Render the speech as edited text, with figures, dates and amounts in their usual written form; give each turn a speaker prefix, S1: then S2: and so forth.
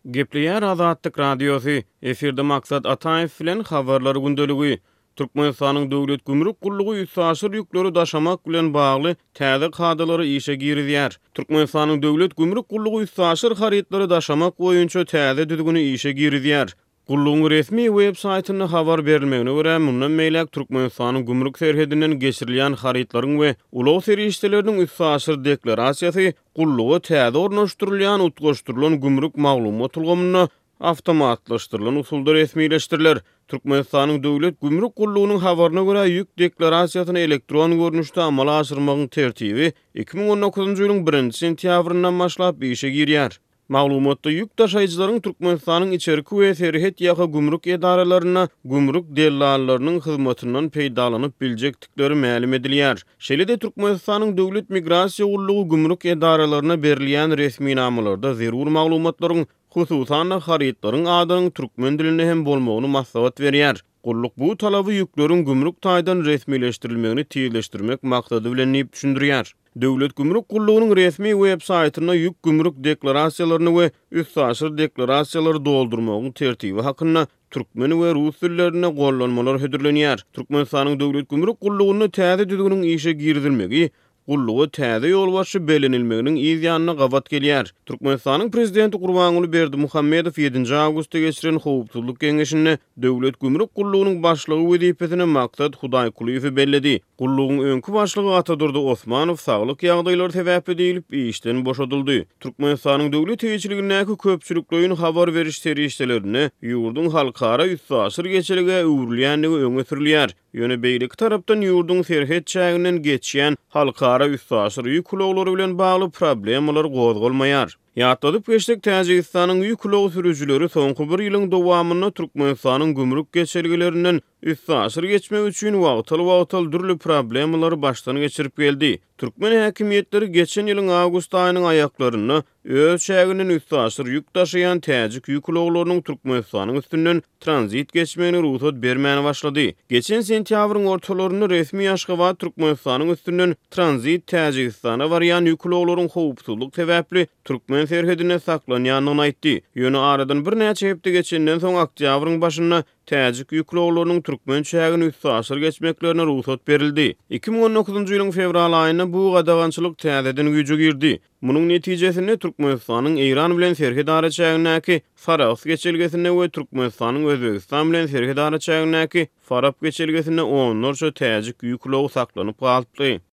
S1: Gepleýär Azatlyk Radiosy, Efirde Maksat Ataýew bilen Habarlar gündeligi. Türkmenistanyň Döwlet gümrük gullugy üstaşyr ýükleri daşamak bilen bagly täze kadalary işe girizýär. Türkmenistanyň Döwlet gümrük gullugy üstaşyr harytlary daşamak boýunça täze düzgüni işe girizýär. Gullugyň resmi web saýtynda habar berilmegine görä, mundan beýläk Türkmenistanyň gümrük serhedinden geçirilýän harytlaryň we ulag serişdeleriniň üstaşyr deklarasiýasy gulluga täze ornaşdyrylýan utgaşdyrylan gümrük maglumat ulgamynda awtomatlaşdyrylan usulda resmileşdiriler. Türkmenistanyň Döwlet gümrük gullugynyň habaryna görä, ýük deklarasiýasyny elektron görnüşde amala aşyrmagyň tertibi 2019-njy ýylyň birinji sentýabryndan başlap işe girýär. Maglumatda ýük daşaýjylaryň Türkmenistanyň içerki we serhet ýaka gümrük edaralarynda gümrük dellallarynyň hyzmatyndan peýdalanyp biljekdikleri mälim edilýär. Şeýle-de Türkmenistanyň Döwlet migrasiýa gullugy gümrük edaralaryna berilýän resminamalarda zerur maglumatlaryň, hususan-da, harytlaryň adynyň türkmen dilinde hem bolmagyny maslahat berýär. Gulluk bu talaby ýükleriň gümrük taýdan resmileşdirilmegini tizleşdirmek maksady bilen diýip düşündirýär. Döwlet gümrük gullugynyň resmi web saýtynda ýük gümrük deklarasiýalaryny we üstaşyr deklarasiýalary doldurmagyň tertibi hakynda türkmen we rus dillerinde gollanmalar hödürlenýär. Türkmenistanyň Döwlet gümrük gullugynda täze düzgüniň işe girizilmegi gulluga täze ýolbaşçy bellenilmeginiň yz ýanyna gabat gelýär. Türkmenistanyň Prezidenti Gurbanguly Berdimuhamedow ýedinji awgustda geçiren Howpsuzlyk geňeşinde Döwlet gümrük gullugynyň başlygy wezipesine Maksat Hudaýkulyýewi belledi. Gullugyň öňki başlygy Atadurdy Osmanow saglyk ýagdaýlary sebäpli diýlip, işden boşadyldy. Türkmenistanyň döwlet eýeçiligindäki köpçülikleýin habar beriş serişdelerinde ýurduň halkara üstaşyr geçelgä öwrülýändigi öňe sürülýär. Ýöne beýleki tarapdan ýurduň serhet çäginden geçýän halkara üstaşyr ýük ulaglary bilen bagly problemalar gozgalmaýar. Ýatladyp geçsek, Täjigistanyň ýük ulag sürüjileri soňky bir ýylyň dowamynda Türkmenistanyň gümrük geçelgelerinden üstaşyr geçmek üçin wagtal-wagtal dürli problemalary başdan geçirip geldi. Türkmen häkimiýetleri geçen ýylyň awgust aýynyň aýaklarynda öz çäginden üstaşyr ýük daşaýan täjik ýük ulaglarynyň Türkmenistanyň üstünden tranzit geçmegine rugsat bermän başlady. Geçen sentýabryň ortalarynda resmi Aşgabat Türkmenistanyň üstünden tranzit Täjigistana barýan ýük ulaglaryň howpsuzlyk sebäpli türkmen serhedinde saklanýandygyny aýtdy. Ýöne aradan birnäçe hepde geçenden soň oktýabryň başynda Täjik ýük ulaglarynyň türkmen çägini üstaşyr geçmeklerine rugsat berildi. 2019-njy ýylyň fewral aýynda bu gadagançylyk täzeden güýje girdi. Munuň netijesinde Türkmenistanyň Eýran bilen serhet araçägindäki Sarahs geçelgesinde we Türkmenistanyň Özbegistan bilen serhet araçägindäki Farap geçelgesinde onlarça täjik ýük ulagy saklanyp galypdy.